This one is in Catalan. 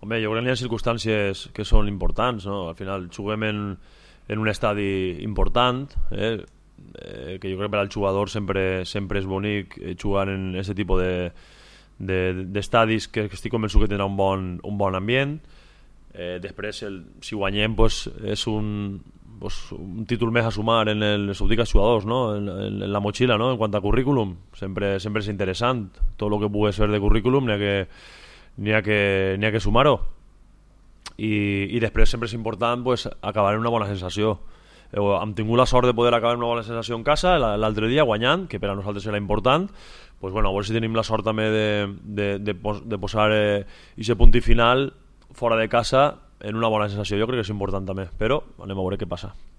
Home, jo crec que hi ha circumstàncies que són importants, no? Al final juguem en un estadi important, que jo crec que per al jugador sempre és bonic jugar en aquest tipus d'estadis que estic convençut que tindrà un bon ambient. Després, si guanyem, pues, és un títol més a sumar en els jugadors, no? en la motxilla, no? En quant a currículum, sempre és interessant. Tot el que pugues fer de currículum n'hi ha que sumar-ho. I després sempre és important, pues, acabar en una bona sensació. Hem tingut la sort de poder acabar en una bona sensació en casa l'altre dia guanyant, que per a nosaltres era important. Pues, bueno, a veure si tenim la sort també de posar aquest punt final fora de casa en una bona sensació. Jo crec que és important també, però anem a veure què passa.